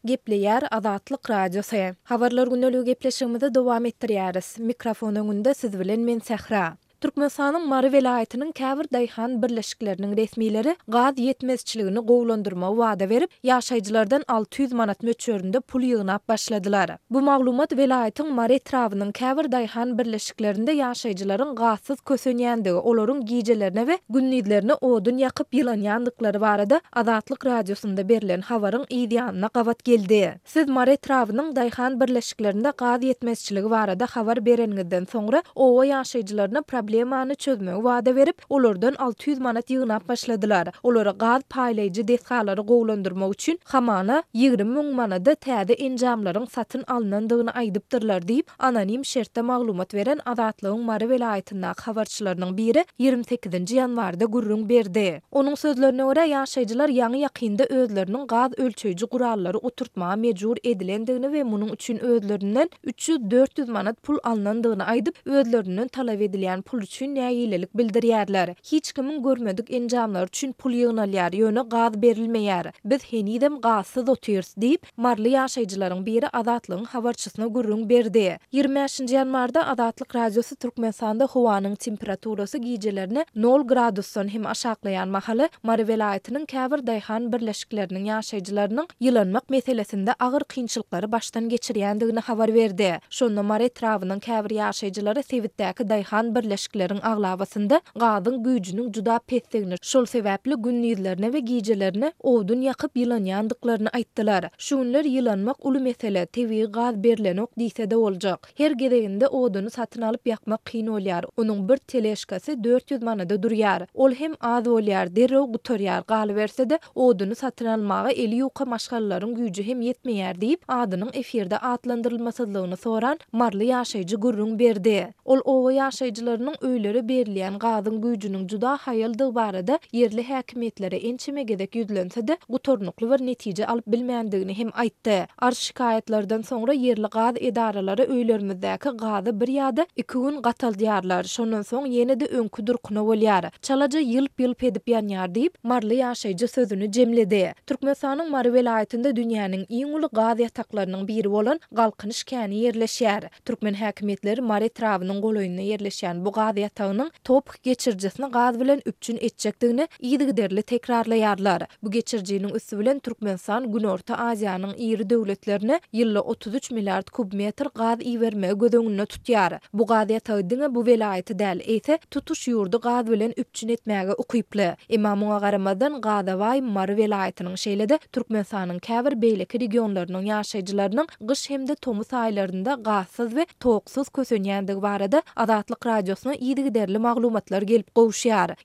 Gepleýär Azatlyk Radiosy. Habarlar gündeligi gepleşigimizi dowam etdirýäris. Mikrofon öňünde siz bilen men Sähra. Türkmenistanyň Mary welaýatynyň käbir daýhan birleşikleriniň resmileri gaz ýetmezçiligini gowulandyrmagy wada berip, ýaşaýjylardan 600 manat möçberinde pul ýygnap başladylar. Bu maglumat welaýatyň Mary etrabynyň käbir daýhan birleşiklerinde ýaşaýjylaryň gazsyz kösenýändigi, olaryň gijelerine we gündizlerine odun ýakyp ýylanýandyklary barada Azatlyk Radiosynda berlen habaryň yz ýanyna gabat geldi. Siz Mary etrabynyň daýhan birleşiklerinde gaz ýetmezçiligi barada habar bereniňizden soňra, oba ýaşaýjylaryna problemany çözmegi wada berip, olardan 600 manat ýygnap başladylar. Olara gaz paýlaýjy desgalary gowulandyrmak üçin hamana 20 müň manada täze enjamlaryň satyn alnandygyny aýdypdyrlar diýip, Anonim şertde maglumat beren Azatlygyň Mary welaýatyndaky habarçylarynyň biri 28-nji ýanwarda gürrüň berdi. Onuň sözlerine görä, ýaşaýjylar ýaňy-ýakynda özleriniň gaz ölçeýji gurallary oturtmaga mejbur edilendigini we munuň üçin özlerinden 300-400 manat pul alnandygyny aýdyp, özlerinden talap edilýän pul üçin nägilelik bildirýärler. Hiç kimiň görmedik enjamlary üçin pul ýygnalýar, ýöne gaz berilmeýär. Biz henizem gazsyz otyrys diýip, Maryly ýaşaýjylaryň biri Azatlygyň habarçysyna gürrüň berdi. 25-nji ýanwarda Azatlyk Radiosy Türkmenistanda howanyň temperaturasy gijelerine nol gradusdan hem aşaklaýan mahaly, Mary welaýatynyň käbir daýhan birleşikleriniň ýaşaýjylarynyň ýylanmak meselesinde agyr kynçylyklary başdan geçirýändigini habar berdi. Şonda Mary etrabynyň käbir ýaşaýjylary sebitdäki daýhan birleşikleriň aglabasynda gazyň güýjüniň juda pesdigini, şol sebäpli gündizlerine we gijelerine odun ýakyp ýylanýandyklaryny aýtdylar. Şu günler ýylanmak uly mesele, tebigy gaz berlenok diýse-de boljak. Her gezeginde oduny satyn alyp ýakmak kyn bolýar, onuň bir teležkasy 400 manada durýar. Ol hem az bolýar, derrew gutarýar, galyberse-de, oduny satyn almaga eli ýuka maşgalalaryň güýji hem ýetmeýär diýip, adynyň efirde atlandyrylmasyzlygyny soran maryly ýaşaýjy gürrüň berdi. Ol oba ýaşaýjylarynyň öýlere berilýän gazyň güýjüniň juda haýaldygy barada ýerli häkimiýetlere ençeme gezek ýüzlense-de, gutarnykly bir netije alyp bilmändigini hem aýtdy. Arz-şikaýatlardan soňra ýerli gaz edaralary öýlerimizdäki gazy bir ýa-da iki gün gataldýarlar, şondan soň ýene-de öňki durkuna bolýar. Çalaja ýylp-ýylp edip ýanýar diýip, maryly ýaşaýjy sözüni jemledi. Türkmenistanyň Mary welaýatynda dünýäniň iň uly gaz ýataklarynyň biri bolan Galkynyş käni ýerleşýär. Türkmen häkimiýetleri Mary etrabynyň golaýynda ýerleşýän bu gaz ýatagynyň TOPH geçirijisini gaz bilen üpjün etjekdigini yzygiderli tekrarlaýarlar. Bu geçirijiniň üsti bilen Türkmenistan Günorta Aziýanyň iri döwletlerine ýylda 33 milliard kub metr gaz ibermegi göz öňünde tutýar. Bu gaz ýatagy diňe bu welaýaty däl, eýse, tutuş ýurdy gaz bilen üpjün etmäge ukyply. Emma muňa garamazdan, gaza baý Mary welaýatynyň, şeýle-de Türkmenistanyň käbir beýleki regionlarynyň ýaşaýjylarynyň gyş hem-de tomus aýlarynda gazsyz we toksuz kösenýändigi barada Azatlyk Radiosyna yzygiderli maglumatlar gelip gowuşýar.